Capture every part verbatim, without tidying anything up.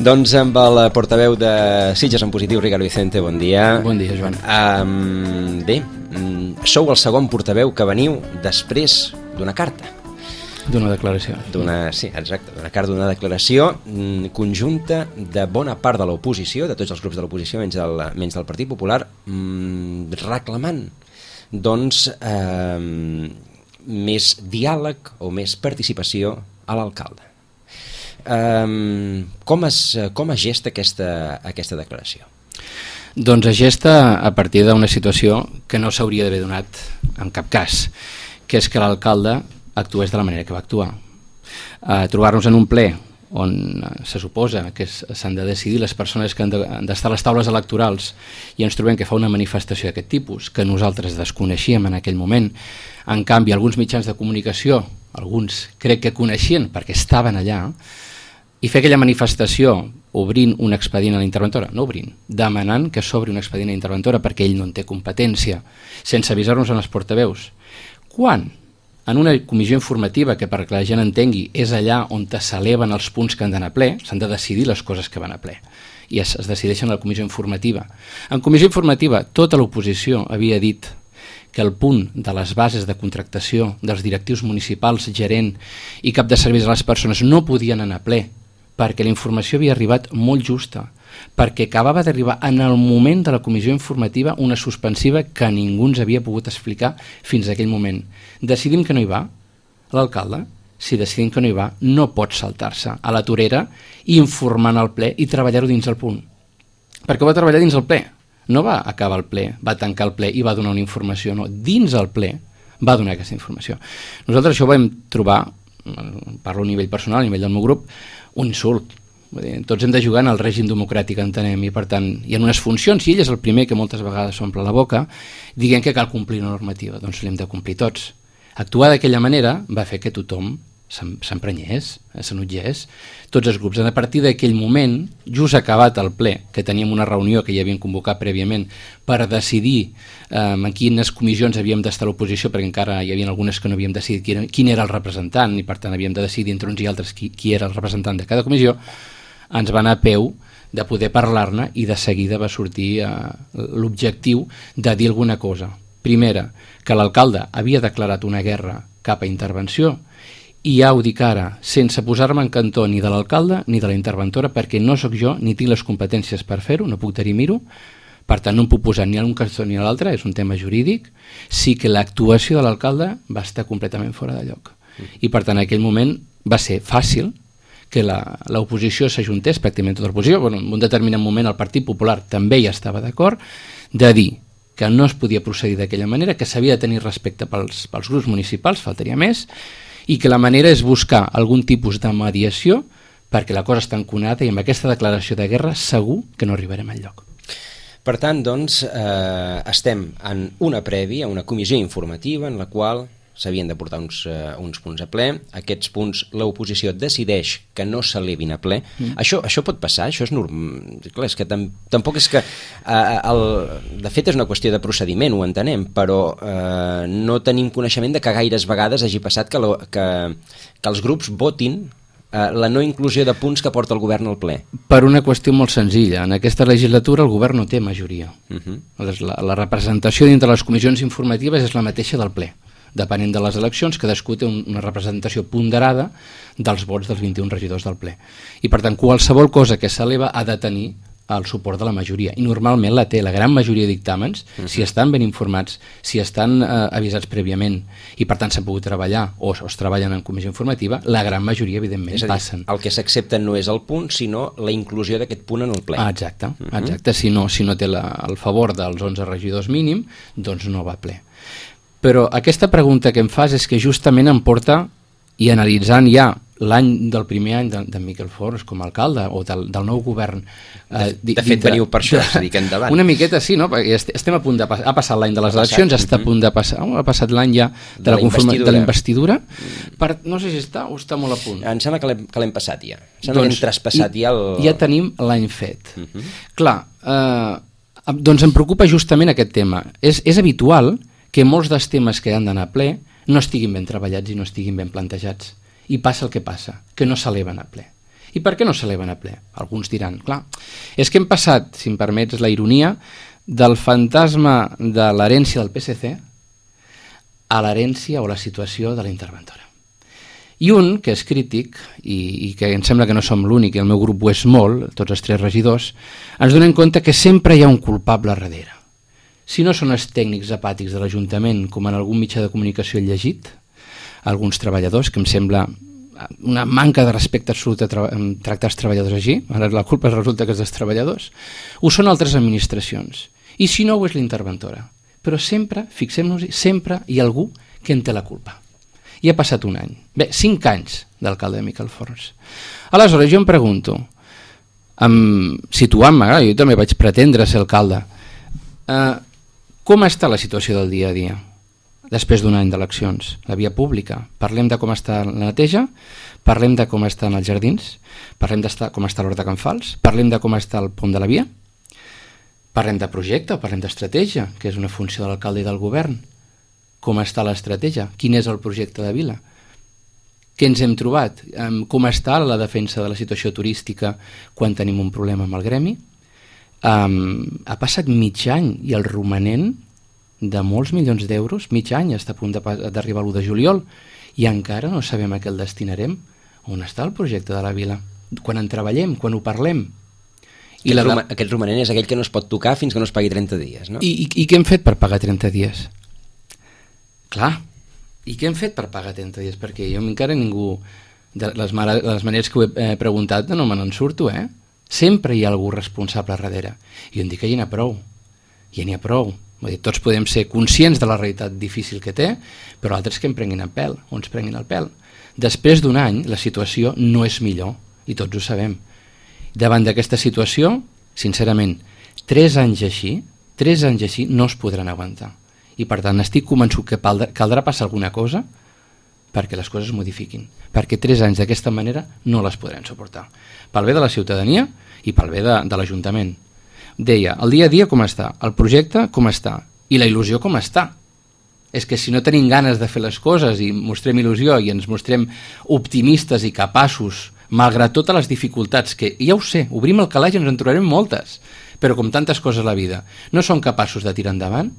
Doncs amb el portaveu de Sitges en Positiu, Ricardo Vicente, bon dia. Bon dia, Joan. Um, bé, sou el segon portaveu que veniu després d'una carta. D'una declaració. D'una, sí, exacte, d'una carta, d'una declaració conjunta de bona part de l'oposició, de tots els grups de l'oposició, menys del, menys del Partit Popular, reclamant, doncs, eh, més diàleg o més participació a l'alcalde. Um, com, es, com es gesta aquesta, aquesta declaració? Doncs es gesta a partir d'una situació que no s'hauria d'haver donat en cap cas, que és que l'alcalde actués de la manera que va actuar. Uh, trobar-nos en un ple on se suposa que s'han de decidir les persones que han d'estar a les taules electorals i ens trobem que fa una manifestació d'aquest tipus que nosaltres desconeixíem en aquell moment. En canvi, alguns mitjans de comunicació, alguns crec que coneixien perquè estaven allà, i fer aquella manifestació obrint un expedient a la interventora, no obrint, demanant que s'obri un expedient a la interventora perquè ell no en té competència, sense avisar-nos en els portaveus. Quan? En una comissió informativa que, perquè la gent entengui, és allà on s'eleven els punts que han d'anar a ple, s'han de decidir les coses que van a ple, i es, es decideixen a la comissió informativa. En comissió informativa, tota l'oposició havia dit que el punt de les bases de contractació dels directius municipals, gerent i cap de serveis a les persones no podien anar a ple, perquè la informació havia arribat molt justa, perquè acabava d'arribar en el moment de la comissió informativa una suspensiva que ningú ens havia pogut explicar fins a aquell moment. Decidim que no hi va, l'alcalde, si decidim que no hi va, no pot saltar-se a la torera informant el ple i treballar-ho dins el punt. Perquè va treballar dins el ple, no va acabar el ple, va tancar el ple i va donar una informació, no, dins el ple va donar aquesta informació. Nosaltres això ho vam trobar, parlo a nivell personal, a nivell del meu grup, un insult. Tots hem de jugar en el règim democràtic, entenem, i per tant hi ha unes funcions, i ell és el primer que moltes vegades s'omple la boca dient que cal complir una normativa, doncs l'hem de complir tots. Actuar d'aquella manera va fer que tothom s'emprenyés, s'enutgés, tots els grups. A partir d'aquell moment, just acabat el ple, que teníem una reunió que ja havíem convocat prèviament per decidir eh, en quines comissions havíem d'estar a l'oposició, perquè encara hi havia algunes que no havíem decidit quin, quin era el representant, i per tant havíem de decidir entre uns i altres qui, qui era el representant de cada comissió, ens va anar a peu de poder parlar-ne i de seguida va sortir eh, l'objectiu de dir alguna cosa. Primera, que l'alcalde havia declarat una guerra cap a intervenció, i ja ho dic ara, sense posar-me en cantó ni de l'alcalde ni de la interventora, perquè no sóc jo ni tinc les competències per fer-ho, no puc dirimir-ho, per tant no em puc posar ni a un cantó ni a l'altre, és un tema jurídic. Sí que l'actuació de l'alcalde va estar completament fora de lloc. I per tant en aquell moment va ser fàcil que l'oposició s'ajuntés, pràcticament tota l'oposició, bueno, en un determinat moment el Partit Popular també hi estava d'acord, de dir que no es podia procedir d'aquella manera, que s'havia de tenir respecte pels, pels grups municipals, faltaria més, i que la manera és buscar algun tipus de mediació perquè la cosa està enconada i amb aquesta declaració de guerra segur que no arribarem enlloc. Per tant, doncs, eh, estem en una prèvia, una comissió informativa en la qual s'havien de portar uns, uh, uns punts a ple. Aquests punts l'oposició decideix que no s'elevin a ple. Mm. Això, això pot passar? Això és normal? Clar, és que tam tampoc és que... Uh, el... De fet, és una qüestió de procediment, ho entenem, però uh, no tenim coneixement de que gaires vegades hagi passat que, lo, que, que els grups votin uh, la no inclusió de punts que porta el govern al ple. Per una qüestió molt senzilla. En aquesta legislatura el govern no té majoria. Uh-huh. la, la representació dintre les comissions informatives és la mateixa del ple. Depenent de les eleccions, cadascú té una representació ponderada dels vots dels vint-i-un regidors del ple. I per tant, qualsevol cosa que s'eleva ha de tenir el suport de la majoria, i normalment la té la gran majoria de dictàmens, uh-huh. si estan ben informats, si estan eh, avisats prèviament, i per tant s'han pogut treballar o, o es treballen en comissió informativa, la gran majoria evidentment és a dir, passen. El que s'accepta no és el punt, sinó la inclusió d'aquest punt en el ple. Ah, exacte, uh-huh. exacte. Si no, si no té la, el favor dels onze regidors mínim, doncs no va a ple. Però aquesta pregunta que em fas és que justament em porta, i analitzant ja l'any del primer any de, de Miquel Forns com a alcalde o del, del nou govern... Eh, de, de fet, veniu per això, és a dir, que endavant. Una miqueta sí, no? Perquè estem a punt de passar, ha passat l'any de les eleccions, està a punt de passar, ha passat l'any ja de, de, la, la de la investidura, per, no sé si està o està molt a punt. Em sembla que l'hem passat ja, em sembla doncs, que hem traspassat i, ja el... Ja tenim l'any fet. Uh -huh. Clar, eh, doncs em preocupa justament aquest tema. És, és habitual que molts dels temes que han d'anar a ple no estiguin ben treballats i no estiguin ben plantejats. I passa el que passa, que no s'eleven a ple. I per què no s'eleven a ple? Alguns diran, clar, és que hem passat, si em permets la ironia, del fantasma de l'herència del P S C a l'herència o la situació de la interventora. I un, que és crític, i, i que em sembla que no som l'únic, i el meu grup ho és molt, tots els tres regidors, ens donem compte que sempre hi ha un culpable darrere. Si no són els tècnics apàtics de l'Ajuntament, com en algun mitjà de comunicació he llegit, alguns treballadors, que em sembla una manca de respecte absolut a tra tractar els treballadors així, ara la culpa resulta que és dels treballadors, ho són altres administracions, i si no ho és l'interventora. Però sempre, fixem-nos-hi, sempre hi ha algú que en té la culpa. I ha passat un any. Bé, cinc anys d'alcalde Miquel Forns. Aleshores, jo em pregunto, em, situant-me, jo també vaig pretendre ser alcalde, eh, com està la situació del dia a dia després d'un any d'eleccions? La via pública. Parlem de com està la neteja, parlem de com estan els jardins, parlem de com està l'hort de Can Fals, parlem de com està el pont de la via, parlem de projecte, parlem d'estratègia, que és una funció de l'alcalde i del govern. Com està l'estratègia? Quin és el projecte de vila? Què ens hem trobat? Com està la defensa de la situació turística quan tenim un problema amb el gremi? Um, ha passat mig any i el romanent de molts milions d'euros, mig any, està a punt d'arribar l'u de juliol i encara no sabem a què el destinarem. On està el projecte de la vila? Quan en treballem, quan ho parlem? I aquest, la... rom aquest romanent és aquell que no es pot tocar fins que no es pagui trenta dies, no? I, i, i què hem fet per pagar trenta dies? Clar, i què hem fet per pagar trenta dies? Perquè jo encara ningú, de les, de les maneres que ho he eh, preguntat, no me n'en surto, eh? Sempre hi ha algú responsable darrere. I jo em dic que ja n'hi ha prou, ja n'hi ha prou. Vull dir, tots podem ser conscients de la realitat difícil que té, però altres que em prenguin el pèl, o ens prenguin el pèl. Després d'un any, la situació no és millor, i tots ho sabem. Davant d'aquesta situació, sincerament, tres anys així, tres anys així no es podran aguantar. I per tant estic convençut que caldrà passar alguna cosa perquè les coses es modifiquin, perquè tres anys d'aquesta manera no les podrem suportar, pel bé de la ciutadania i pel bé de, de l'Ajuntament. Deia, el dia a dia com està, el projecte com està i la il·lusió com està. És que si no tenim ganes de fer les coses i mostrem il·lusió i ens mostrem optimistes i capaços, malgrat totes les dificultats, que ja ho sé, obrim el calaix i ens en trobarem moltes, però com tantes coses a la vida, no som capaços de tirar endavant,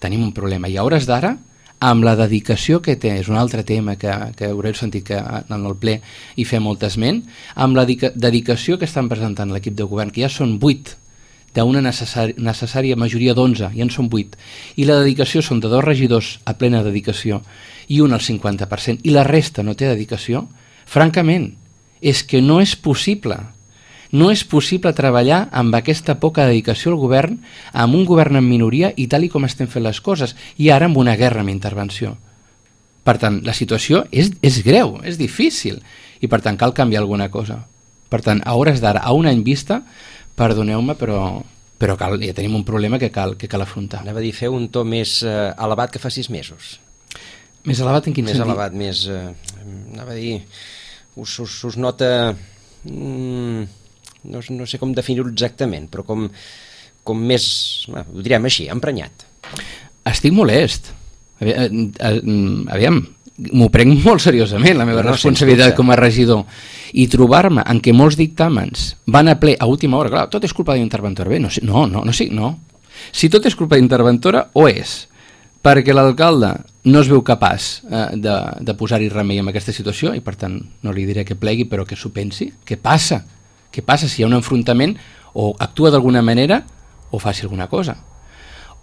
tenim un problema. I a hores d'ara, amb la dedicació que té, és un altre tema que, que haureu sentit que en el ple hi fem molt esment, amb la dedicació que estan presentant l'equip de govern, que ja són vuit, d'una necessària, necessària majoria d'onze, ja en són vuit, i la dedicació són de dos regidors a plena dedicació i un al cinquanta per cent, i la resta no té dedicació, francament, és que no és possible. No és possible treballar amb aquesta poca dedicació al govern, amb un govern en minoria i tal i com estem fent les coses, i ara amb una guerra amb intervenció. Per tant, la situació és, és greu, és difícil, i per tant cal canviar alguna cosa. Per tant, a hores d'ara, a un any vista, perdoneu-me, però, però cal, ja tenim un problema que cal, que cal afrontar. Anava a dir, fer un to més eh, elevat que fa sis mesos. Més elevat en quin més sentit? Més elevat, més... Eh, anava a dir, us, us, us nota... Mm, No, no sé com definir-ho exactament, però com, com més, ho direm així, emprenyat. Estic molest. Aviam, m'ho prenc molt seriosament, la meva no, responsabilitat com a regidor. I trobar-me en què molts dictàmens van a ple a última hora, clar, tot és culpa de l'interventora. Bé, no, no, no, no, sí, no. Si tot és culpa de l'interventora, o és perquè l'alcalde no es veu capaç eh, de, de posar-hi remei en aquesta situació, i per tant no li diré que plegui, però que s'ho pensi. Què passa? Què passa si hi ha un enfrontament, o actua d'alguna manera o faci alguna cosa?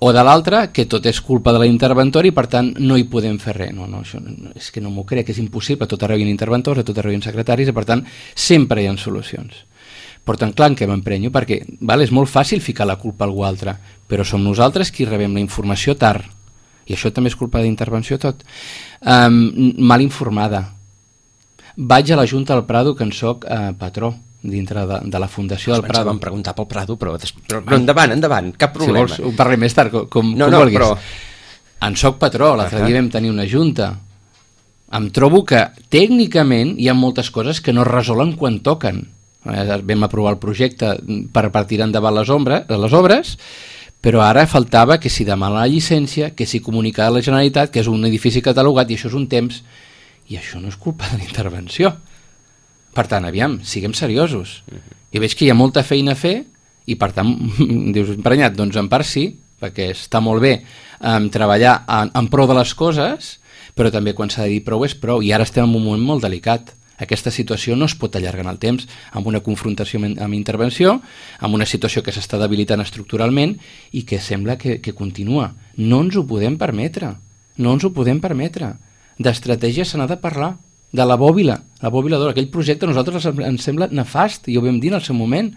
O de l'altra, que tot és culpa de la interventora i per tant no hi podem fer res. No, no, això és que no m'ho crec, és impossible, a tot arreu hi ha interventors, a tot arreu hi ha secretaris, i per tant sempre hi ha solucions. Per tant, clar que m'emprenyo, perquè val, és molt fàcil ficar la culpa a algú altre, però som nosaltres qui rebem la informació tard, i això també és culpa d'intervenció tot. Um, mal informada. Vaig a la Junta del Prado, que en soc uh, patró, dintre de, de la Fundació del Prado. Vam preguntar pel Prado, però, però, però endavant, endavant, cap problema. Si vols, ho parlem més tard, com, com, no, com no, vulguis. Però... En soc patró, l'altre uh -huh. dia vam tenir una junta. Em trobo que tècnicament hi ha moltes coses que no es resolen quan toquen. Vam aprovar el projecte per, per tirar endavant les, ombres, les obres, però ara faltava que si demana la llicència, que si comunicava a la Generalitat, que és un edifici catalogat, i això és un temps, i això no és culpa de la intervenció. Per tant, aviam, siguem seriosos. Uh-huh. I veig que hi ha molta feina a fer i per tant, dius, emprenyat, doncs en part sí, perquè està molt bé um, treballar en, en pro de les coses, però també quan s'ha de dir prou és prou, i ara estem en un moment molt delicat. Aquesta situació no es pot allargar en el temps amb una confrontació amb intervenció, amb una situació que s'està debilitant estructuralment i que sembla que, que continua. No ens ho podem permetre, no ens ho podem permetre. D'estratègia se n'ha de parlar, de la bòbila, la bòbila d'or. Aquell projecte a nosaltres ens sembla nefast, i ho vam dir en el seu moment,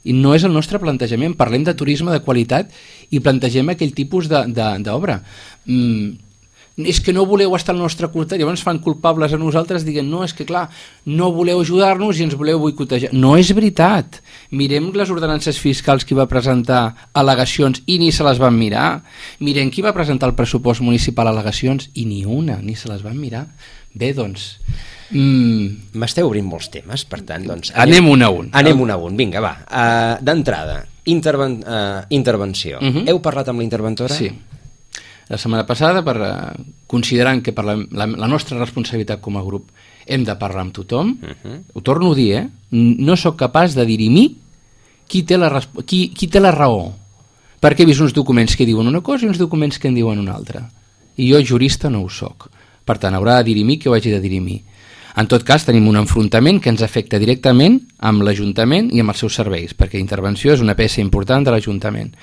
i no és el nostre plantejament. Parlem de turisme de qualitat i plantegem aquell tipus d'obra. Mm, és que no voleu estar al nostre costat, i llavors fan culpables a nosaltres, diguen, no, és que clar, no voleu ajudar-nos i ens voleu boicotejar. No és veritat. Mirem les ordenances fiscals qui va presentar al·legacions i ni se les van mirar. Mirem qui va presentar el pressupost municipal al·legacions i ni una, ni se les van mirar. Bé, doncs... Mm. M'esteu obrint molts temes, per tant, doncs... Anem, anem un a un. Anem un a un, vinga, va. Uh, D'entrada, interven, uh, intervenció. Uh -huh. Heu parlat amb la interventora? Sí. La setmana passada, per, uh, considerant que per la, la, la nostra responsabilitat com a grup hem de parlar amb tothom, uh -huh. ho torno a dir, eh? No sóc capaç de dirimir qui té, la, qui, qui té la raó, perquè he vist uns documents que diuen una cosa i uns documents que en diuen una altra. I jo, jurista, no ho soc. Per tant, haurà de dirimir qui ho hagi de dirimir. En tot cas, tenim un enfrontament que ens afecta directament amb l'Ajuntament i amb els seus serveis, perquè intervenció és una peça important de l'Ajuntament.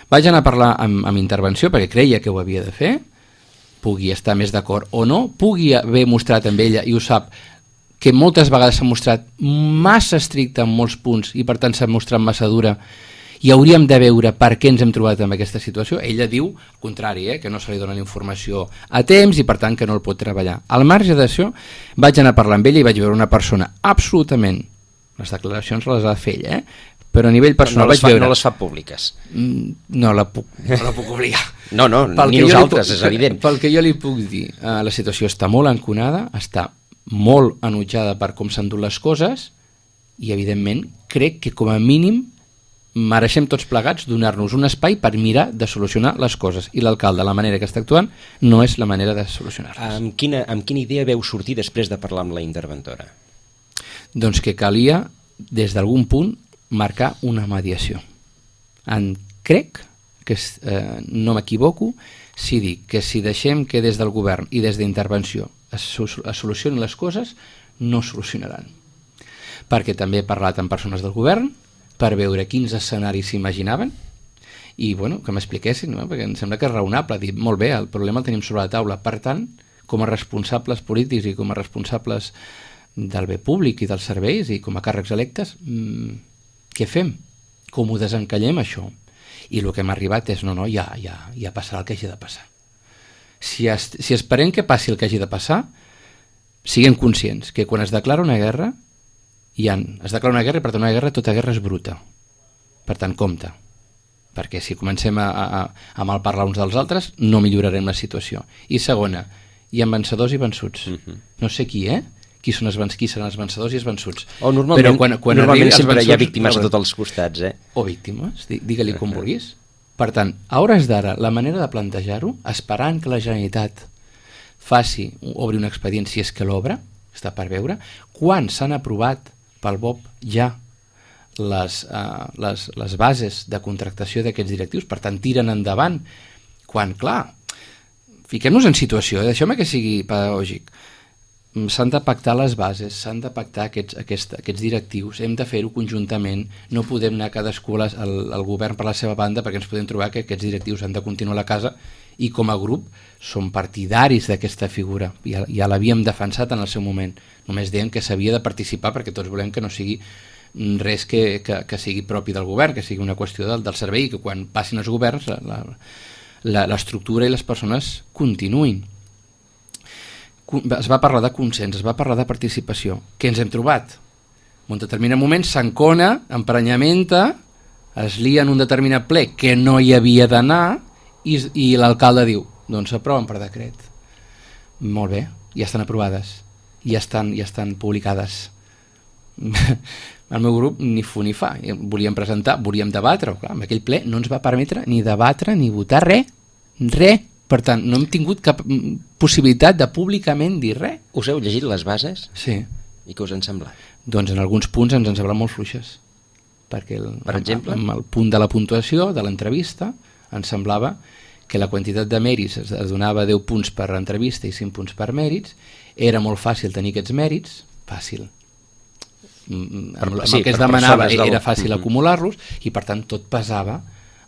Vaig anar a parlar amb, amb intervenció perquè creia que ho havia de fer, pugui estar més d'acord o no, pugui haver mostrat amb ella, i ho sap, que moltes vegades s'ha mostrat massa estricta en molts punts i per tant s'ha mostrat massa dura, i hauríem de veure per què ens hem trobat en aquesta situació. Ella diu el contrari, eh, que no se li dona la informació a temps i per tant que no el pot treballar. Al marge d'això, vaig anar a parlar amb ella i vaig veure una persona absolutament, les declaracions les ha de fer ella, eh? Però a nivell personal no vaig fa, veure... No les fa públiques. No la puc, no la puc obligar. No, no, pel ni nosaltres, puc, és evident. Pel que jo li puc dir, eh, la situació està molt enconada, està molt enutjada per com s'han dut les coses i, evidentment, crec que com a mínim mereixem tots plegats donar-nos un espai per mirar de solucionar les coses. I l'alcalde, la manera que està actuant, no és la manera de solucionar-les. Amb quina, amb quina idea veu sortir després de parlar amb la interventora? Doncs que calia, des d'algun punt, marcar una mediació. En crec, que eh, no m'equivoco, si dic que si deixem que des del govern i des d'intervenció es, es solucionin les coses, no solucionaran. Perquè també he parlat amb persones del govern per veure quins escenaris s'imaginaven i bueno, que m'expliquessin, no? Perquè em sembla que és raonable dir, molt bé, el problema el tenim sobre la taula, per tant, com a responsables polítics i com a responsables del bé públic i dels serveis i com a càrrecs electes, mmm, què fem? Com ho desencallem, això? I el que hem arribat és, no, no, ja, ja, ja passarà el que hagi de passar. Si, es, si esperem que passi el que hagi de passar, siguem conscients que quan es declara una guerra, hi ha, es declara una guerra i per tant una guerra, tota guerra és bruta. Per tant, compte. Perquè si comencem a, a, a malparlar uns dels altres, no millorarem la situació. I segona, hi ha vencedors i vençuts. Uh-huh. No sé qui, eh? Qui són els, qui seran els vencedors i els vençuts. O normalment, però quan, quan normalment sempre vençuts, hi ha víctimes a tots els costats, eh? O víctimes, digue-li com vulguis. Per tant, a hores d'ara, la manera de plantejar-ho, esperant que la Generalitat faci, obri un expedient, si és que l'obre, està per veure, quan s'han aprovat pel B O P ja les, uh, les, les bases de contractació d'aquests directius, per tant, tiren endavant, quan, clar, fiquem-nos en situació, eh? Deixeu-me que sigui pedagògic, s'han de pactar les bases, s'han de pactar aquests, aquests, aquests directius, hem de fer-ho conjuntament, no podem anar cadascú al, al govern per la seva banda perquè ens podem trobar que aquests directius han de continuar a la casa i com a grup som partidaris d'aquesta figura, ja, ja l'havíem defensat en el seu moment, només dèiem que s'havia de participar perquè tots volem que no sigui res que, que, que sigui propi del govern, que sigui una qüestió del, del servei i que quan passin els governs l'estructura i les persones continuïn. Es va parlar de consens, es va parlar de participació. Què ens hem trobat? En un determinat moment s'encona, emprenyamenta, es lia en un determinat ple que no hi havia d'anar i, i l'alcalde diu, doncs s'aproven per decret. Molt bé, ja estan aprovades, ja estan, ja estan publicades. El meu grup ni fu ni fa, volíem presentar, volíem debatre, clar, en aquell ple no ens va permetre ni debatre ni votar res, res. Per tant, no hem tingut cap possibilitat de públicament dir res. Us heu llegit les bases? Sí. I què us han semblat? doncs en alguns punts ens han semblat molt fluixes, perquè el, per exemple? amb el punt de la puntuació de l'entrevista ens semblava que la quantitat de mèrits es donava deu punts per entrevista i cinc punts per mèrits, era molt fàcil tenir aquests mèrits, fàcil, amb, amb sí, el que es demanava del... era fàcil mm-hmm. acumular-los, i per tant tot pesava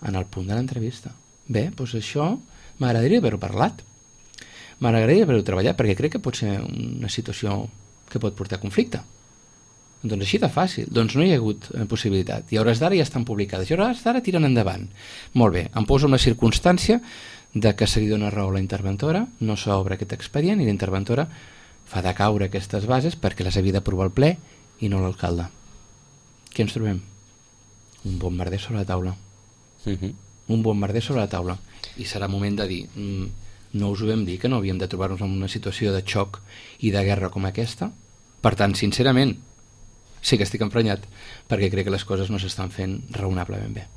en el punt de l'entrevista. Bé, doncs això m'agradaria haver-ho parlat, m'agradaria haver-ho treballat, perquè crec que pot ser una situació que pot portar a conflicte. Doncs així de fàcil, doncs no hi ha hagut eh, possibilitat, i a hores d'ara ja estan publicades, i a hores d'ara tiren endavant. Molt bé, em poso en la circumstància de que se li dona raó a la interventora, no s'obre aquest expedient i la interventora fa decaure aquestes bases perquè les havia d'aprovar el ple i no l'alcalde. Què ens trobem? Un bombarder sobre la taula. Uh-huh. Un bombarder sobre la taula. I serà moment de dir, mm, no us ho vam dir que no havíem de trobar-nos en una situació de xoc i de guerra com aquesta? Per tant, sincerament, sí que estic emprenyat, perquè crec que les coses no s'estan fent raonablement bé.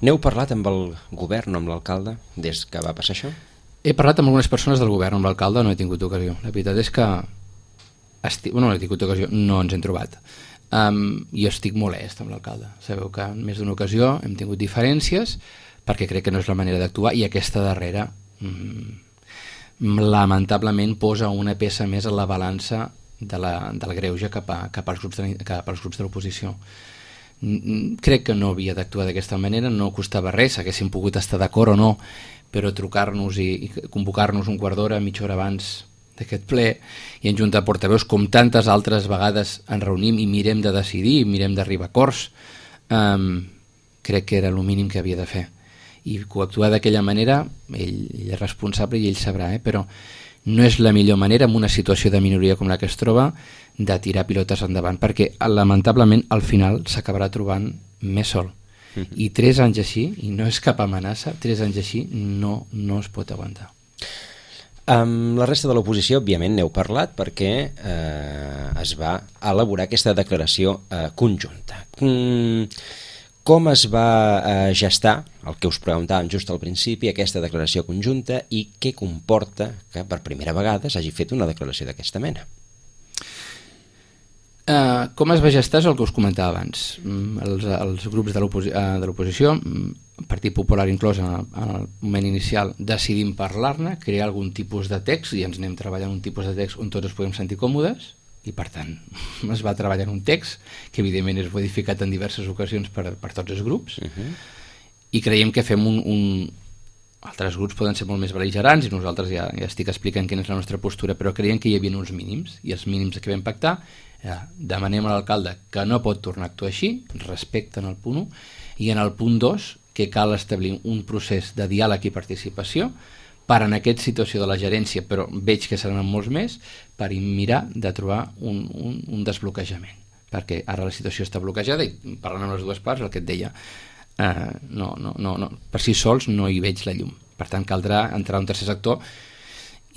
N'heu parlat amb el govern o amb l'alcalde des que va passar això? He parlat amb algunes persones del govern, amb l'alcalde no he tingut ocasió. La veritat és que estic... bueno, no he tingut ocasió, no ens hem trobat. Um, jo estic molest amb l'alcalde. Sabeu que en més d'una ocasió hem tingut diferències perquè crec que no és la manera d'actuar, i aquesta darrera mm, lamentablement posa una peça més a la balança de la, del greuge cap, a, cap, als grups de, cap als grups de l'oposició. Crec que no havia d'actuar d'aquesta manera, no costava res, haguéssim pogut estar d'acord o no, però trucar-nos i, i convocar-nos un quart d'hora, mitja hora abans d'aquest ple, i en junta de portaveus, com tantes altres vegades ens reunim i mirem de decidir, mirem d'arribar a acords, um, crec que era el mínim que havia de fer. I actuar d'aquella manera, ell, ell és responsable i ell sabrà, eh? Però no és la millor manera en una situació de minoria com la que es troba de tirar pilotes endavant, perquè lamentablement al final s'acabarà trobant més sol. Uh-huh. I tres anys així, i no és cap amenaça, tres anys així no, no es pot aguantar. Amb la resta de l'oposició, òbviament, n'heu parlat perquè eh, es va elaborar aquesta declaració eh, conjunta. Mm, com es va eh, gestar, el que us preguntàvem just al principi, aquesta declaració conjunta, i què comporta que per primera vegada s'hagi fet una declaració d'aquesta mena? Uh, com es va gestar és el que us comentava abans. Mm, els, els grups de l'oposi- uh, de l'oposició, mm, Partit Popular inclòs en el, en el moment inicial, decidim parlar-ne, crear algun tipus de text, i ens anem treballant un tipus de text on tots ens podem sentir còmodes, i per tant es va treballar en un text que evidentment és modificat en diverses ocasions per, per tots els grups. Uh-huh. I creiem que fem un, un... altres grups poden ser molt més bel·ligerants i nosaltres ja, ja estic explicant quina és la nostra postura, però creiem que hi havia uns mínims, i els mínims que vam pactar eh, demanem a l'alcalde que no pot tornar a actuar així, respecte en el punt u, i en el punt dos que cal establir un procés de diàleg i participació per en aquesta situació de la gerència, però veig que seran molts més, per mirar de trobar un, un, un desbloquejament, perquè ara la situació està bloquejada i parlant amb les dues parts, el que et deia, eh, no, no, no, no, per si sols no hi veig la llum, per tant caldrà entrar un tercer sector,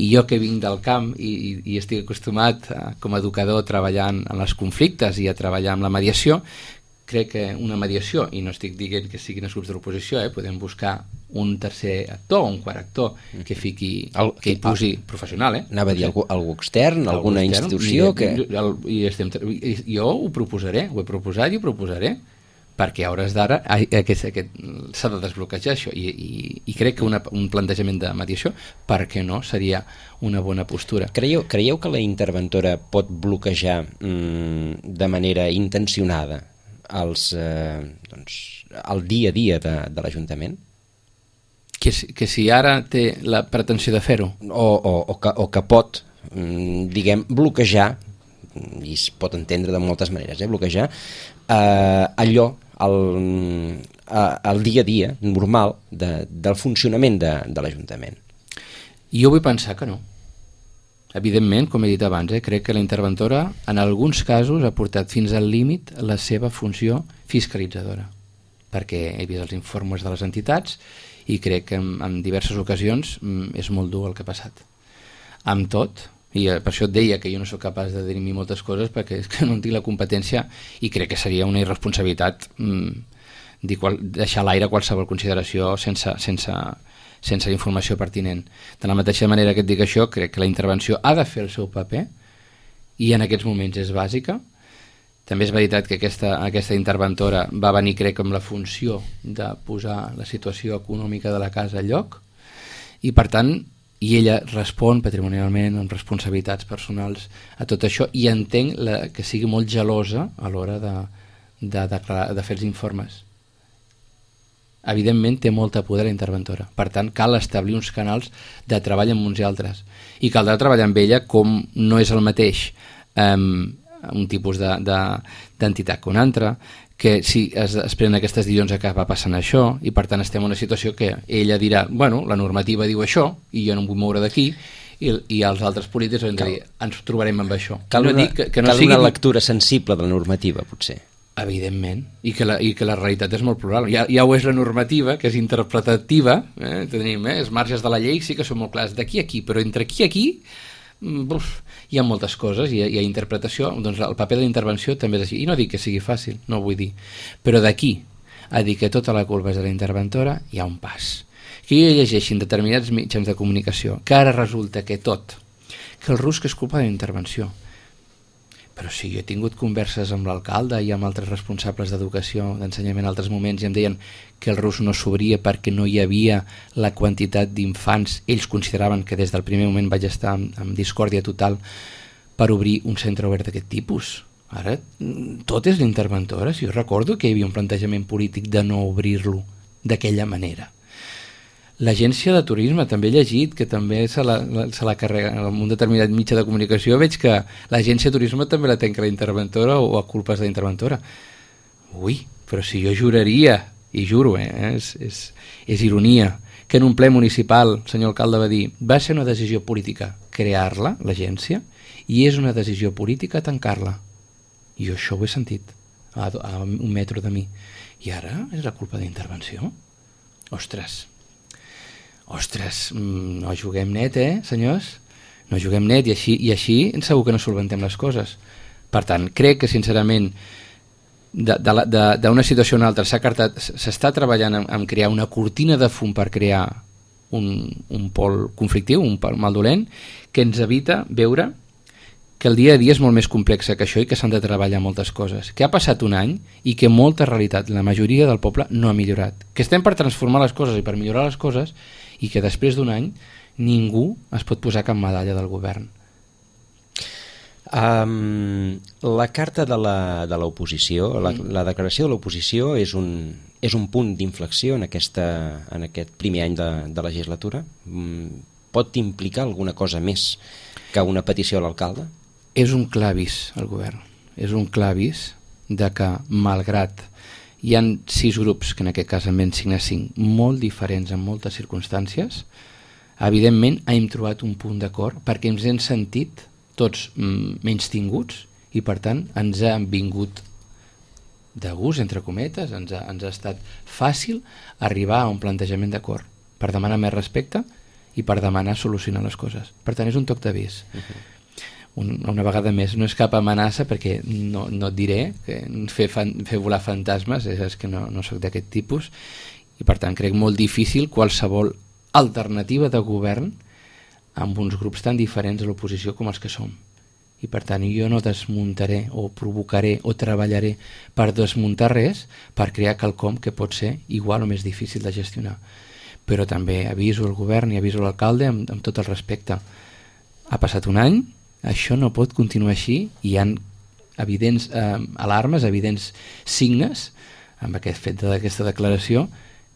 i jo que vinc del camp i, i, i estic acostumat a, com a educador treballant en els conflictes i a treballar amb la mediació, crec que una mediació, i no estic dient que siguin els grups de l'oposició, eh, podem buscar un tercer actor, un quart actor que fiqui, el, que hi posi el, professional, eh? Anava a dir algú, algú extern, algú alguna extern, institució que... El, i estem, jo ho proposaré, ho he proposat i ho proposaré, perquè a hores d'ara aquest, aquest, s'ha de desbloquejar això, i, i, i crec que una, un plantejament de mediació, per què no, seria una bona postura. Creieu, creieu que la interventora pot bloquejar mmm, de manera intencionada els, eh, doncs, el dia a dia de, de l'Ajuntament? Que, que si ara té la pretensió de fer-ho? O, o, o, que, o que pot, mm, diguem, bloquejar, i es pot entendre de moltes maneres, eh, bloquejar eh, allò, el, eh, el dia a dia normal de, del funcionament de, de l'Ajuntament. Jo vull pensar que no. Evidentment, com he dit abans, eh, crec que la interventora en alguns casos ha portat fins al límit la seva funció fiscalitzadora, perquè he vist els informes de les entitats i crec que en, en diverses ocasions mm, és molt dur el que ha passat. Amb tot, i per això et deia que jo no sóc capaç de dir-me moltes coses perquè és que no en tinc la competència, i crec que seria una irresponsabilitat mm, dir qual, deixar a l'aire qualsevol consideració sense... sense sense informació pertinent. De la mateixa manera que et dic això, crec que la intervenció ha de fer el seu paper, i en aquests moments és bàsica, També és veritat que aquesta, aquesta interventora va venir, crec, amb la funció de posar la situació econòmica de la casa a lloc, i per tant, i ella respon patrimonialment amb responsabilitats personals a tot això, i entenc la, que sigui molt gelosa a l'hora de, de, declarar, de fer els informes. Evidentment té molta poder la interventora, per tant cal establir uns canals de treball amb uns i altres, i caldrà treballar amb ella com no és el mateix um, un tipus de, de, d'entitat que un altre, que si es, es prenen aquestes decisions acaba passant això, i per tant estem en una situació que ella dirà, bueno, la normativa diu això i jo no em vull moure d'aquí, i, i els altres polítics han de dir, ens trobarem amb això. Cal no una, dic que, que no cal sigui... una lectura sensible de la normativa, potser. Evidentment, i que, la, i que la realitat és molt plural. Ja, ja ho és la normativa, que és interpretativa, eh? Tenim, eh? Els marges de la llei sí que són molt clars, d'aquí a aquí, però entre aquí a aquí uf, hi ha moltes coses, hi ha, hi ha interpretació, doncs el paper de la intervenció també és així, i no dic que sigui fàcil, no ho vull dir, però d'aquí a dir que tota la culpa és de la interventora hi ha un pas. Que jo llegeixin determinats mitjans de comunicació, que ara resulta que tot, que el rusc és culpa de la intervenció. Però sí, jo he tingut converses amb l'alcalde i amb altres responsables d'educació, d'ensenyament en altres moments, i em deien que el rus no s'obria perquè no hi havia la quantitat d'infants. Ells consideraven que des del primer moment vaig estar amb, amb discòrdia total per obrir un centre obert d'aquest tipus. Ara tot és l'interventora. Si jo recordo que hi havia un plantejament polític de no obrir-lo d'aquella manera. L'agència de turisme també he llegit que també se la, se la carrega en un determinat mitjà de comunicació. Veig que l'agència de turisme també la tanca la interventora o a culpes de la interventora. Ui, però si jo juraria, i juro, eh, és, és, és ironia, que en un ple municipal el senyor alcalde va dir va ser una decisió política crear-la, l'agència, i és una decisió política tancar-la. I jo això ho he sentit a, a un metro de mi. I ara és la culpa de la intervenció? Ostres, Ostres, no juguem net, eh, senyors? No juguem net, i així, i així segur que no solventem les coses. Per tant, crec que, sincerament, d'una situació a una altra s'està treballant en, en crear una cortina de fum per crear un, un pol conflictiu, un pol maldolent, que ens evita veure que el dia a dia és molt més complex que això i que s'han de treballar moltes coses. Que ha passat un any i que molta realitat, la majoria del poble, no ha millorat. Que estem per transformar les coses i per millorar les coses, i que després d'un any ningú es pot posar cap medalla del govern. Um, la carta de la, de l'oposició, la, la declaració de l'oposició és un, és un punt d'inflexió en, aquesta, en aquest primer any de, de legislatura? Pot implicar alguna cosa més que una petició a l'alcalde? És un clavis al govern. És un clavis de que, malgrat hi ha sis grups, que en aquest cas en vam signar cinc, molt diferents en moltes circumstàncies, evidentment hem trobat un punt d'acord perquè ens hem sentit tots menys tinguts i per tant ens ha vingut de gust, entre cometes, ens ha, ens ha estat fàcil arribar a un plantejament d'acord per demanar més respecte i per demanar solucionar les coses. Per tant, és un toc d'avís. Uh-huh. Un, una vegada més, no és cap amenaça perquè no, no et diré que fer, fan, fer volar fantasmes és, és que no, no soc d'aquest tipus i per tant crec molt difícil qualsevol alternativa de govern amb uns grups tan diferents a l'oposició com els que som, i per tant jo no desmuntaré o provocaré o treballaré per desmuntar res per crear quelcom que pot ser igual o més difícil de gestionar, però també aviso el govern i aviso l'alcalde amb, amb tot el respecte. Ha passat un any, això no pot continuar així, hi ha evidents eh, alarmes, evidents signes amb aquest fet d'aquesta declaració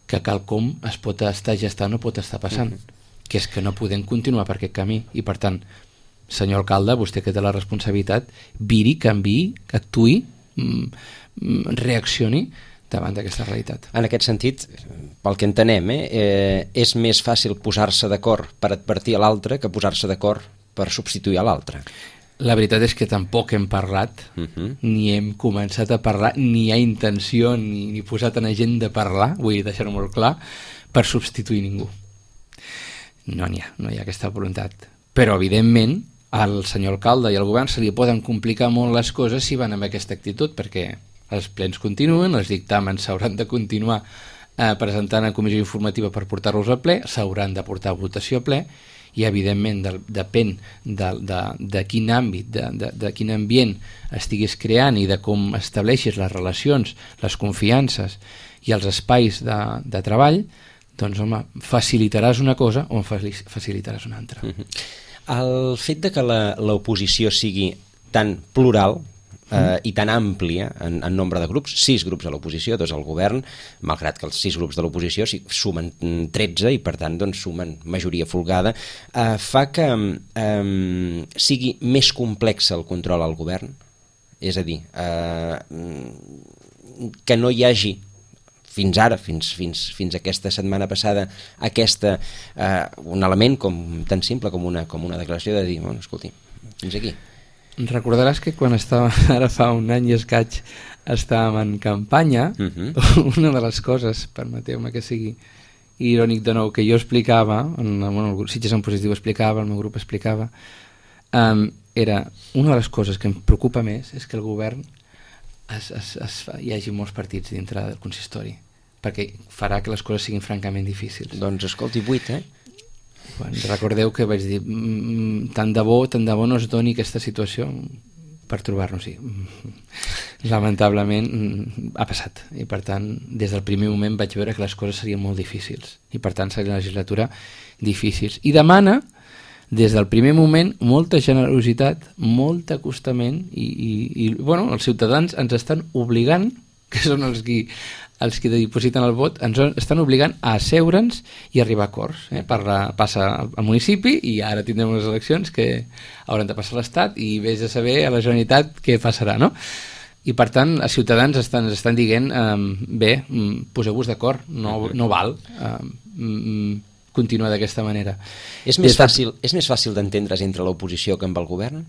que quelcom es pot estar gestant o pot estar passant, uh-huh. que és que no podem continuar per aquest camí i per tant, senyor alcalde, vostè que té la responsabilitat, viri, canviï, actuï, mm, reaccioni davant d'aquesta realitat. En aquest sentit, pel que entenem, eh, eh, és més fàcil posar-se d'acord per advertir a l'altre que posar-se d'acord per substituir a l'altre. La veritat és que tampoc hem parlat, uh-huh. ni hem començat a parlar, ni hi ha intenció, ni, ni posat en agenda de parlar, vull deixar-ho molt clar, per substituir ningú. No n'hi ha, no hi ha aquesta voluntat. Però, evidentment, al senyor alcalde i al govern se li poden complicar molt les coses si van amb aquesta actitud, perquè els plens continuen, els dictàmens s'hauran de continuar eh, presentant a comissió informativa per portar-los al ple, s'hauran de portar a votació a ple, i evidentment de, depèn de, de, de quin àmbit, de, de, de quin ambient estiguis creant i de com estableixis les relacions, les confiances i els espais de, de treball, doncs home, facilitaràs una cosa o facilitaràs una altra. Mm-hmm. El fet de que l'oposició sigui tan plural eh, mm. i tan àmplia en, en nombre de grups, sis grups a l'oposició, dos al govern, malgrat que els sis grups de l'oposició sumen tretze i per tant doncs, sumen majoria folgada, eh, fa que eh, sigui més complex el control al govern, és a dir, eh, que no hi hagi fins ara, fins, fins, fins aquesta setmana passada, aquesta, eh, un element com, tan simple com una, com una declaració de dir, bueno, escolti, fins aquí. Recordaràs que quan estava, ara fa un any i escaig, estàvem en campanya, uh-huh. una de les coses, permeteu-me que sigui irònic de nou, que jo explicava, en, bueno, el Sitges en Positiu explicava, el meu grup explicava, um, era una de les coses que em preocupa més és que el govern es, es, es fa, hi hagi molts partits dintre del consistori, perquè farà que les coses siguin francament difícils. Doncs escolti, vuit, eh? Bueno, recordeu que vaig dir mm, tant de bo, tant de bo no es doni aquesta situació per trobar-nos-hi. Lamentablement mm, ha passat i per tant des del primer moment vaig veure que les coses serien molt difícils i per tant seria una legislatura difícils i demana des del primer moment molta generositat, molt acostament i, i, i bueno, els ciutadans ens estan obligant, que són els qui els que dipositen el vot, ens estan obligant a asseure'ns i arribar a acords. Eh? Per la, passa al municipi i ara tindrem les eleccions que hauran de passar a l'Estat i vés a saber a la Generalitat què passarà, no? I per tant, els ciutadans estan, estan dient eh, bé, poseu-vos d'acord, no, no val eh, continuar d'aquesta manera. És més fàcil, és més fàcil d'entendre's entre l'oposició que amb el govern?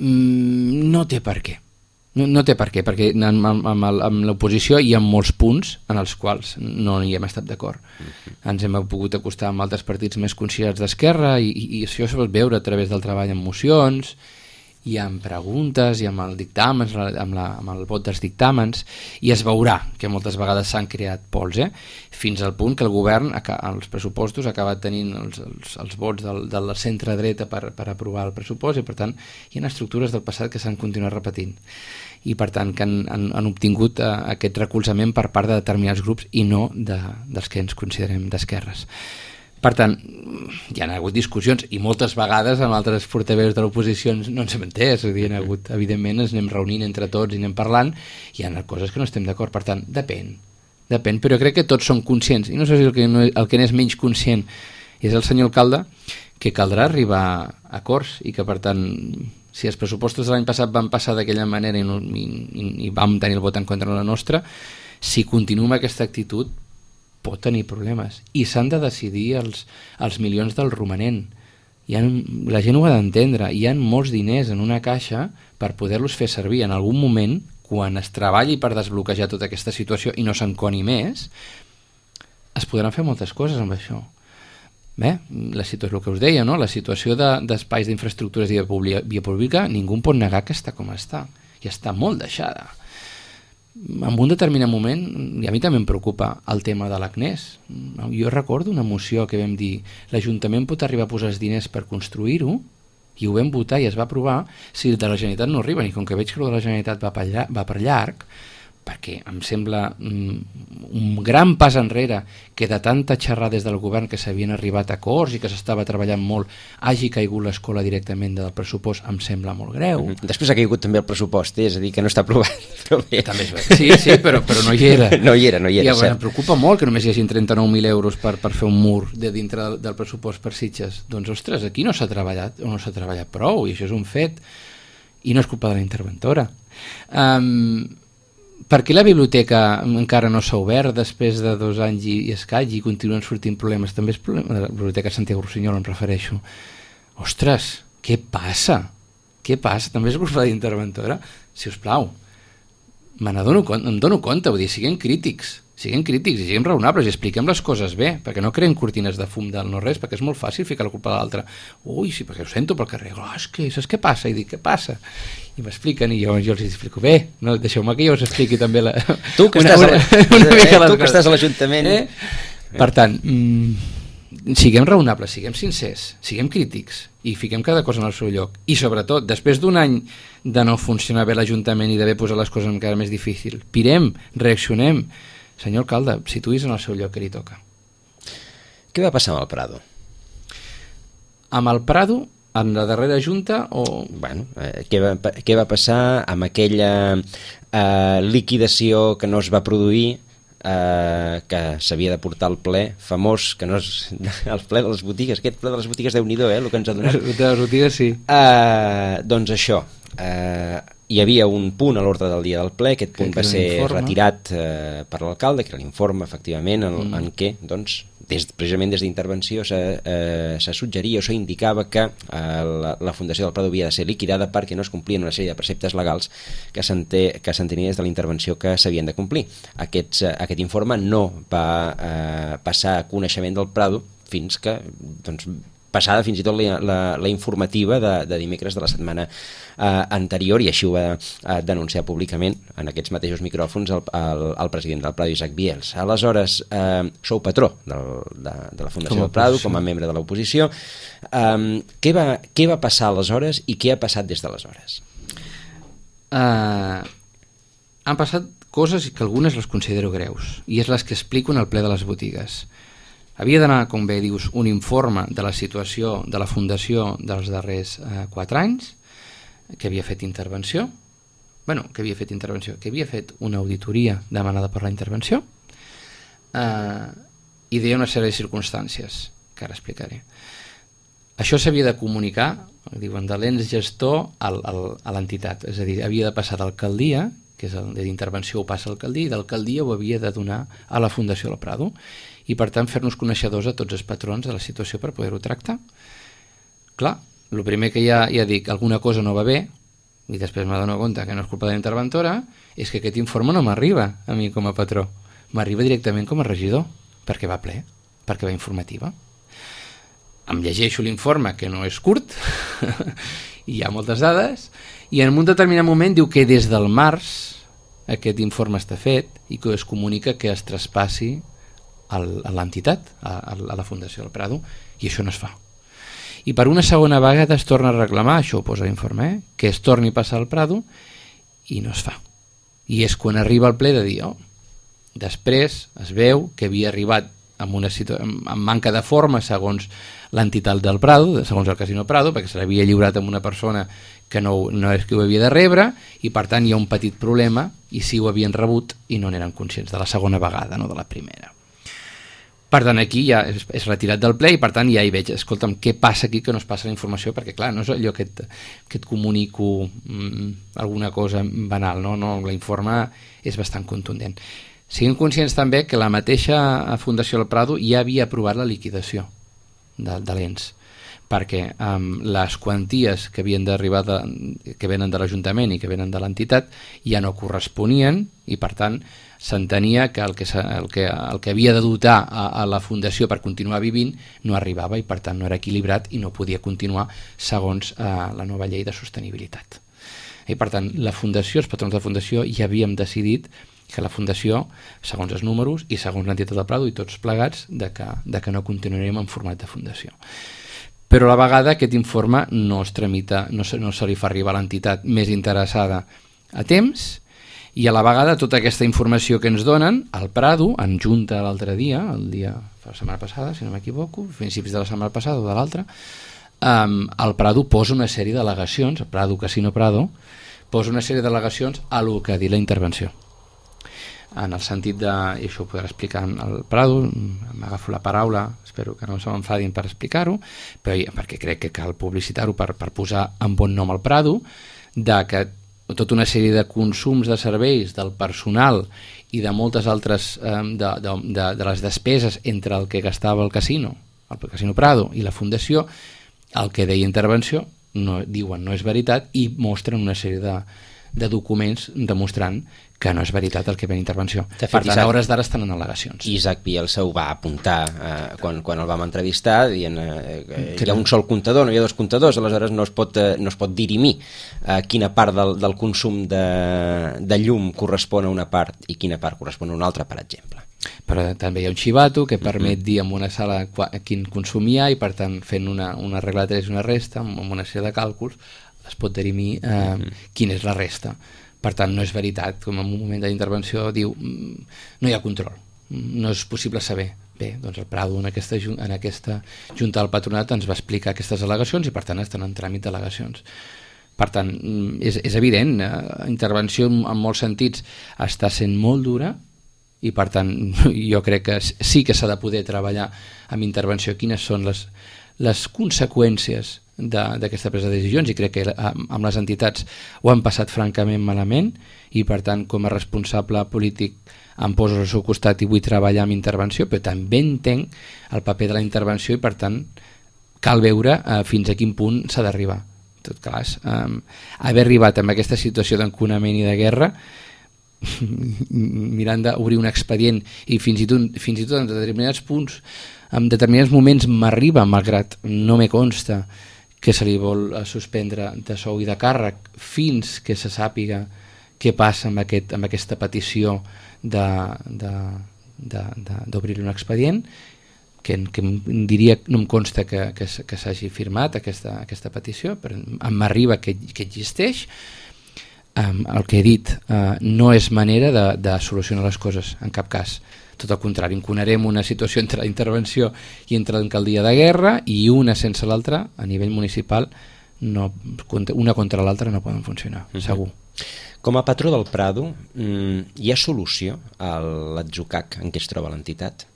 Mm, no té per què. No, no té per què, perquè amb, amb, amb l'oposició hi ha molts punts en els quals no hi hem estat d'acord. Uh-huh. Ens hem pogut acostar amb altres partits més considerats d'esquerra i, i, i això es pot veure a través del treball en mocions i amb preguntes i amb el dictàmens, amb, la, amb el vot dels dictàmens, i es veurà que moltes vegades s'han creat pols, eh? Fins al punt que el govern, els pressupostos, ha acabat tenint els, els, els vots del, del centre-dreta per, per aprovar el pressupost i per tant hi ha estructures del passat que s'han continuat repetint i per tant que han, han, han obtingut uh, aquest recolzament per part de determinats grups i no de, dels que ens considerem d'esquerres. Per tant, hi ha hagut discussions i moltes vegades amb altres portaveus de l'oposició no ens hem entès, hi ha hagut, evidentment ens anem reunint entre tots i anem parlant, hi ha coses que no estem d'acord, per tant, depèn, depèn, però crec que tots som conscients, i no sé si el que, no, el que n'és menys conscient és el senyor alcalde, que caldrà arribar a acords i que per tant, si els pressupostos de l'any passat van passar d'aquella manera i, no, i, i, i vam tenir el vot en contra de la nostra, si continuem aquesta actitud pot tenir problemes i s'han de decidir els, els milions del romanent. Hi ha, la gent ho ha d'entendre, hi ha molts diners en una caixa per poder-los fer servir en algun moment quan es treballi per desbloquejar tota aquesta situació i no s'enconi més, es podran fer moltes coses amb això. Bé, la situació, el que us deia, no? La situació de, d'espais d'infraestructures i de via pública, ningú pot negar que està com està i està molt deixada. En un determinat moment, i a mi també em preocupa el tema de l'Agnès. Jo recordo una moció que vam dir l'Ajuntament pot arribar a posar els diners per construir-ho i ho vam votar i es va aprovar si de la Generalitat no arriben, i com que veig que de la Generalitat va per, llarg, va per llarg, perquè em sembla mm, un gran pas enrere que de tanta xerrar des del govern que s'havien arribat a acords i que s'estava treballant molt hagi caigut l'escola directament del pressupost, em sembla molt greu. Mm-hmm. Després ha caigut també el pressupost, eh? És a dir, que no està aprovat. Però bé. També és bé. Sí, sí, però, però no hi era. No hi era, no hi era, I, cert. Em preocupa molt que només hi hagi trenta-nou mil euros per, per fer un mur de dintre del, del pressupost per Sitges. Doncs, ostres, aquí no s'ha treballat, o no s'ha treballat prou, i això és un fet. I no és culpa de la interventora. Um, Per què la biblioteca encara no s'ha obert després de dos anys i, i escaig i continuen sortint problemes? També és problema de la Biblioteca Santiago Rusiñol, em refereixo. Ostres, què passa? Què passa? També és culpa de la interventora? Si us plau, me n'adono, em dono compte, vull dir, siguem crítics, siguem crítics i siguem raonables i expliquem les coses bé, perquè no creem cortines de fum del no res, perquè és molt fàcil ficar la culpa a l'altre. Ui, sí, perquè ho sento pel carrer. Oh, és que, saps què passa? I dic, què passa? I m'expliquen i jo, jo els explico, bé, no, deixeu-me que jo us expliqui també la... Tu que, una, estàs, una, una, una eh, tu que estàs a l'Ajuntament. Eh? Per tant, mm, siguem raonables, siguem sincers, siguem crítics i fiquem cada cosa en el seu lloc. I sobretot, després d'un any de no funcionar bé l'Ajuntament i d'haver posat les coses encara més difícil, pirem, reaccionem. Senyor alcalde, situï's en el seu lloc que li toca. Què va passar amb el Prado? Amb el Prado, en la darrera junta o... Bueno, eh, què, va, què va passar amb aquella eh, liquidació que no es va produir, eh, que s'havia de portar al ple famós, que no és el ple de les botigues, aquest ple de les botigues, Déu-n'hi-do, eh, el que ens ha donat. El de les botigues, sí. Eh, doncs això, eh, hi havia un punt a l'ordre del dia del ple, aquest punt va ser retirat eh, per l'alcalde, que era l'informe, efectivament, en, mm. en què, doncs, des, precisament des d'intervenció se, eh, se suggeria o s'indicava que eh, la, la Fundació del Prado havia de ser liquidada perquè no es complien una sèrie de preceptes legals que s'entenien des de la intervenció que s'havien de complir. Aquests, eh, aquest informe no va eh, passar a coneixement del Prado fins que, doncs, passada fins i tot la, la, la informativa de, de dimecres de la setmana eh, anterior, i així ho va eh, denunciar públicament en aquests mateixos micròfons el, el, el president del Prado, Isaac Biels. Aleshores, eh, sou patró del, de, de la Fundació del Prado, com a membre de l'oposició. Eh, què, va, què va passar aleshores i què ha passat des d'aleshores? Uh, han passat coses que algunes les considero greus, i és les que explico en el ple de les botigues. Havia d'anar, com bé dius, un informe de la situació de la Fundació dels darrers eh, quatre anys, que havia fet intervenció, bueno, que havia fet intervenció, que havia fet una auditoria demanada per la intervenció, eh, i deia una sèrie de circumstàncies, que ara explicaré. Això s'havia de comunicar, diuen, de l'ens gestor al, al, a l'entitat, és a dir, havia de passar d'alcaldia, que és el d'intervenció ho passa a l'alcaldia, i d'alcaldia ho havia de donar a la Fundació del Prado, i per tant fer-nos coneixedors a tots els patrons de la situació per poder-ho tractar. Clar, el primer que ja, ja dic, alguna cosa no va bé, i després m'adono compte que no és culpa de la interventora, és que aquest informe no m'arriba a mi com a patró, m'arriba directament com a regidor, perquè va ple, perquè va informativa. Em llegeixo l'informe, que no és curt, i hi ha moltes dades, i en un determinat moment diu que des del març aquest informe està fet i que es comunica que es traspassi a l'entitat, a, a la Fundació del Prado, i això no es fa. I per una segona vegada es torna a reclamar, això ho posa l'informe, eh? que es torni a passar al Prado, i no es fa. I és quan arriba el ple de dir, oh, després es veu que havia arribat amb, una situ... amb manca de forma segons l'entitat del Prado, segons el Casino Prado, perquè se l'havia lliurat amb una persona que no, no és qui ho havia de rebre, i per tant hi ha un petit problema, i sí ho havien rebut i no n'eren conscients de la segona vegada, no de la primera. Per tant, aquí ja és, és retirat del ple i per tant ja hi veig, escolta'm, què passa aquí que no es passa la informació, perquè clar, no és allò que et, que et comunico mm, alguna cosa banal, no? No, l'informe és bastant contundent. Siguem conscients també que la mateixa Fundació del Prado ja havia aprovat la liquidació de, de l'ens, perquè um, les quanties que havien d'arribar de, que venen de l'Ajuntament i que venen de l'entitat ja no corresponien i per tant s'entenia que el que, el, que, el que havia de dotar a, a la Fundació per continuar vivint no arribava i per tant no era equilibrat i no podia continuar segons eh, la nova llei de sostenibilitat. I per tant la Fundació, els patrons de la Fundació ja havíem decidit que la Fundació, segons els números i segons l'entitat del Prado i tots plegats, de que, de que no continuarem en format de Fundació. Però a la vegada aquest informe no es tramita, no se, no se li fa arribar a l'entitat més interessada a temps, i a la vegada tota aquesta informació que ens donen, el Prado, en junta l'altre dia, el dia de la setmana passada, si no m'equivoco, principis de la setmana passada o de l'altra, um, el Prado posa una sèrie d'al·legacions, el Prado Casino Prado, posa una sèrie d'al·legacions a el que ha dit la intervenció. En el sentit de, i això ho podrà explicar el Prado, m'agafo la paraula, espero que no se m'enfadin per explicar-ho, però perquè crec que cal publicitar-ho per, per posar en bon nom al Prado, de que tota una sèrie de consums de serveis del personal i de moltes altres eh, de, de, de, de les despeses entre el que gastava el casino, el Casino Prado i la Fundació, el que deia intervenció no, diuen no és veritat i mostren una sèrie de, de documents demostrant que no és veritat el que ve en intervenció. Per tant, Isaac, a hores d'ara estan en al·legacions. Isaac Bielsa ho va apuntar eh, quan, quan el vam entrevistar, dient eh, que hi ha un sol comptador, no hi ha dos comptadors, aleshores no es pot, eh, no es pot dirimir eh, quina part del, del consum de, de llum correspon a una part i quina part correspon a una altra, per exemple. però també hi ha un xivato que permet dir en una sala quin consum hi ha, i per tant fent una, una regla de tres i una resta amb una sèrie de càlculs es pot derimir eh, quina és la resta. Per tant, no és veritat, com en un moment de intervenció diu no hi ha control, no és possible saber. Bé, doncs el Prado en aquesta, en aquesta Junta del Patronat ens va explicar aquestes al·legacions i per tant estan en tràmit d'al·legacions. Per tant, és, és evident, eh, intervenció en, en molts sentits està sent molt dura, i per tant jo crec que sí que s'ha de poder treballar amb intervenció quines són les, les conseqüències d'aquesta presa de decisions, i crec que amb les entitats ho han passat francament malament, i per tant com a responsable polític em poso al seu costat i vull treballar amb intervenció, però també entenc el paper de la intervenció i per tant cal veure eh, fins a quin punt s'ha d'arribar. En tot cas, eh, haver arribat amb aquesta situació d'enconament i de guerra, mirant d'obrir un expedient i fins i tot, fins i tot en determinats punts, en determinats moments m'arriba, malgrat no me consta que se li vol suspendre de sou i de càrrec fins que se sàpiga què passa amb, aquest, amb aquesta petició d'obrir un expedient, que, que em diria, no em consta que, que, que s'hagi firmat aquesta, aquesta petició, però m'arriba que, que existeix. Um, el que he dit uh, no és manera de, de solucionar les coses en cap cas, tot el contrari, enconarem una situació entre la intervenció i entre l'alcaldia de guerra, i una sense l'altra a nivell municipal no, una contra l'altra no poden funcionar, uh-huh. Segur. Com a patró del Prado, hi ha solució a l'atzucac en què es troba l'entitat?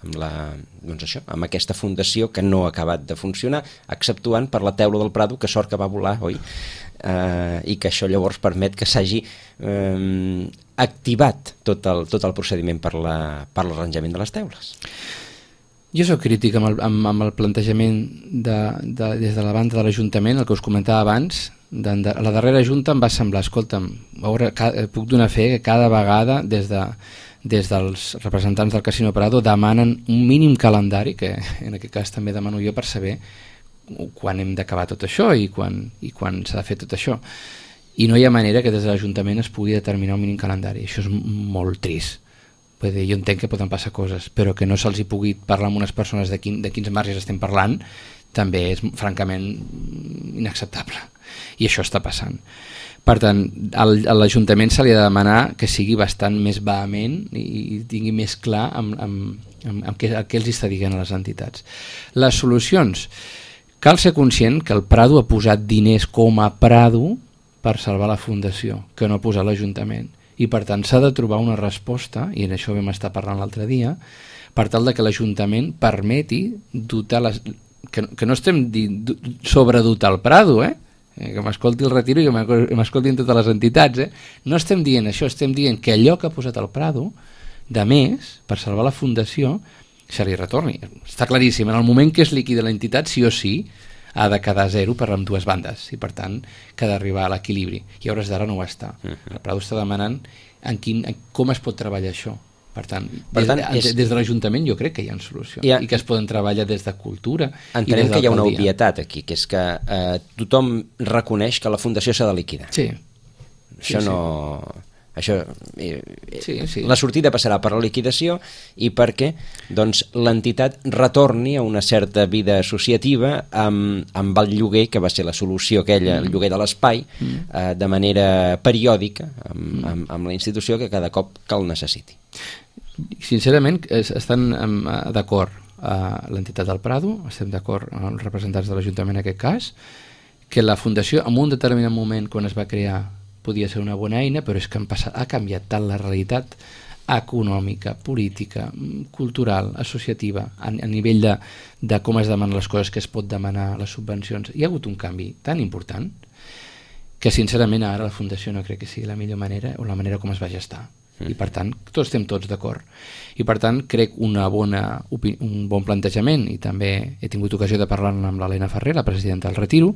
Amb, la, doncs això, amb aquesta fundació que no ha acabat de funcionar, exceptuant per la teula del Prado, que sort que va volar, oi? Uh, i que això llavors permet que s'hagi um, activat tot el, tot el procediment per l'arranjament de les teules. Jo soc crític amb el, amb, amb el plantejament de, de, des de la banda de l'Ajuntament, el que us comentava abans. De, de, a la darrera junta em va semblar, escolta'm, veure, cada, puc donar fe que cada vegada des de des dels representants del Casino Prado demanen un mínim calendari, que en aquest cas també demano jo, per saber quan hem d'acabar tot això i quan, i quan s'ha de fer tot això, i no hi ha manera que des de l'Ajuntament es pugui determinar un mínim calendari. Això és molt trist. Vull dir, jo entenc que poden passar coses, però que no se'ls hi pugui parlar amb unes persones de, quin, de quins marges estem parlant també és francament inacceptable, i això està passant. Per tant, al, a l'Ajuntament se li ha de demanar que sigui bastant més vehement i, i tingui més clar amb, amb, amb, amb què, què els està dient a les entitats. Les solucions: cal ser conscient que el Prado ha posat diners com a Prado per salvar la fundació, que no ha posat l'Ajuntament, i per tant s'ha de trobar una resposta, i en això vam estar parlant l'altre dia, per tal de que l'Ajuntament permeti dotar les... que, que no estem dient sobredotar el Prado, eh? que m'escolti el Retiro i que m'escoltin totes les entitats, eh? No estem dient això, estem dient que allò que ha posat el Prado de més per salvar la fundació se li retorni. Està claríssim, en el moment que es liquida l'entitat, sí o sí ha de quedar zero per amb dues bandes, i per tant que ha d'arribar a l'equilibri, i a hores d'ara no ho està. El Prado està demanant en quin, en com es pot treballar això. Per tant, per tant des, és... des de l'Ajuntament jo crec que hi ha solucions, ha... i que es poden treballar des de cultura. Entenem que hi ha una obvietat aquí, que és que eh, tothom reconeix que la fundació s'ha de liquidar. Sí. Això sí, no... Sí. Això, eh, sí, sí. La sortida passarà per la liquidació i perquè doncs, l'entitat retorni a una certa vida associativa amb, amb el lloguer, que va ser la solució aquella, mm. el lloguer de l'espai, mm. eh, de manera periòdica amb, mm. amb, amb la institució que cada cop que el necessiti. Sincerament estan d'acord a l'entitat del Prado, estem d'acord amb els representants de l'Ajuntament en aquest cas, que la fundació en un determinat moment quan es va crear podia ser una bona eina, però és que han passat, ha canviat tant la realitat econòmica, política, cultural, associativa, a, a nivell de, de com es demanen les coses, que es pot demanar les subvencions. Hi ha hagut un canvi tan important que sincerament ara la Fundació no crec que sigui la millor manera o la manera com es va gestar. I per tant, tots estem tots d'acord. I per tant, crec una bona un bon plantejament, i també he tingut ocasió de parlar amb l'Helena Ferrer, la presidenta del Retiro,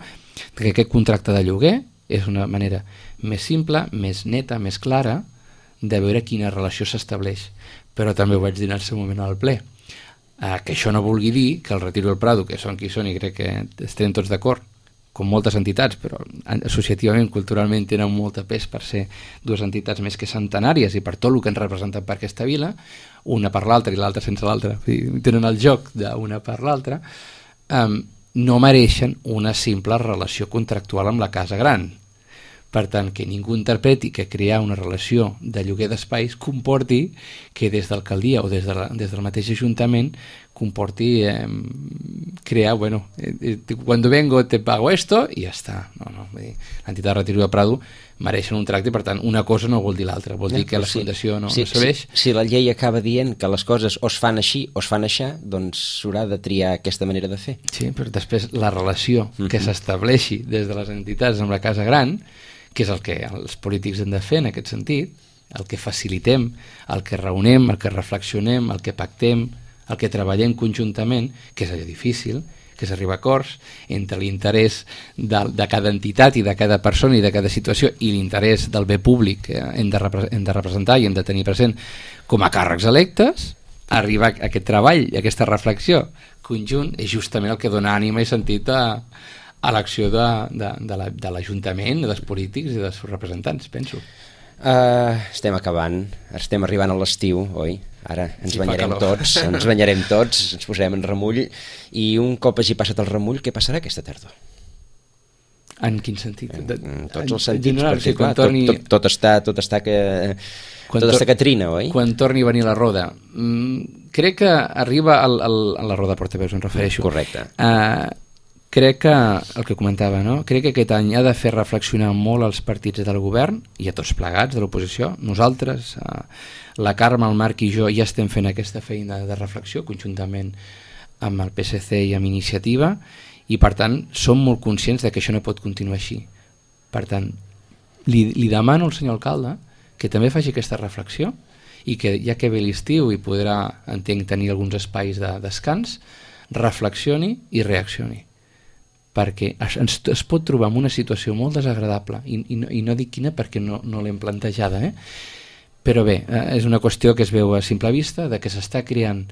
que aquest contracte de lloguer és una manera més simple, més neta, més clara de veure quina relació s'estableix. Però també ho vaig dir en el seu moment al ple, eh, que això no vulgui dir que el Retiro del Prado, que són qui són i crec que estem tots d'acord, com moltes entitats, però associativament, culturalment tenen molta pes per ser dues entitats més que centenàries i per tot el que han representat per aquesta vila, una per l'altra i l'altra sense l'altra, tenen el joc d'una per l'altra, um, no mereixen una simple relació contractual amb la Casa Gran. Per tant, que ningú interpreti que crear una relació de lloguer d'espais comporti que des d'alcaldia o des, de la, des del mateix ajuntament comporti eh, crear, bueno, eh, cuando vengo te pago esto i ja està. No, no, l'entitat de Retiro de Prado mereixen un tracte i per tant una cosa no vol dir l'altra, vol dir que la fundació no, sí, no serveix. Si, si la llei acaba dient que les coses o es fan així o es fan així, doncs s'haurà de triar aquesta manera de fer. Sí, però després la relació que uh-huh. s'estableixi des de les entitats amb la Casa Gran, que és el que els polítics han de fer en aquest sentit, el que facilitem, el que reunem, el que reflexionem, el que pactem, el que treballem conjuntament, que és allò difícil, que s'arriba a acords entre l'interès de, de cada entitat i de cada persona i de cada situació i l'interès del bé públic que hem de, repre- hem de representar i hem de tenir present com a càrrecs electes. Arribar a aquest treball i aquesta reflexió conjunt és justament el que dona ànima i sentit a a l'acció de, de, de, la, de l'Ajuntament, dels polítics i dels seus representants, penso. Uh, estem acabant, estem arribant a l'estiu, oi? Ara ens sí, banyarem tots, ens banyarem tots, ens posarem en remull, i un cop hagi passat el remull, què passarà aquesta tardor? En quin sentit? De, en tots els sentits, general, perquè sí, clar, torni... tot, tot, tot està, tot està que... Quan tot està que trina, oi? Quan torni a venir la roda. Mm, crec que arriba al, al, a la roda portaveus, em refereixo. Correcte. Uh, Crec que, el que comentava, no? Crec que aquest any ha de fer reflexionar molt els partits del govern i a tots plegats de l'oposició. Nosaltres, eh, la Carme, el Marc i jo ja estem fent aquesta feina de reflexió conjuntament amb el P S C i amb Iniciativa i per tant som molt conscients de que això no pot continuar així. Per tant, li, li demano al senyor alcalde que també faci aquesta reflexió i que ja que ve l'estiu i podrà, entenc, tenir alguns espais de descans, reflexioni i reaccioni. Perquè es, es pot trobar en una situació molt desagradable i, i, no, i no dic quina perquè no, no l'hem plantejada, eh? Però bé, eh, és una qüestió que es veu a simple vista de que s'està creant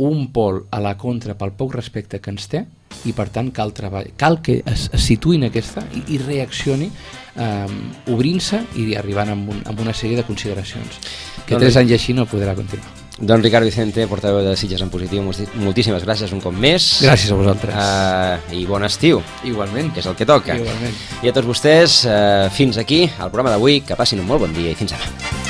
un pol a la contra pel poc respecte que ens té i per tant cal, treball, cal que es, es situï en aquesta i, i reaccioni eh, obrint-se i arribant amb, un, amb una sèrie de consideracions que doncs, tres anys així no podrà continuar. Don Ricardo Vicente, portaveu de Sitges en Positiu, moltíssimes gràcies un cop més. Gràcies a vosaltres. Uh, I bon estiu. Igualment. Que és el que toca. Igualment. I a tots vostès, uh, fins aquí el programa d'avui. Que passin un molt bon dia i fins demà.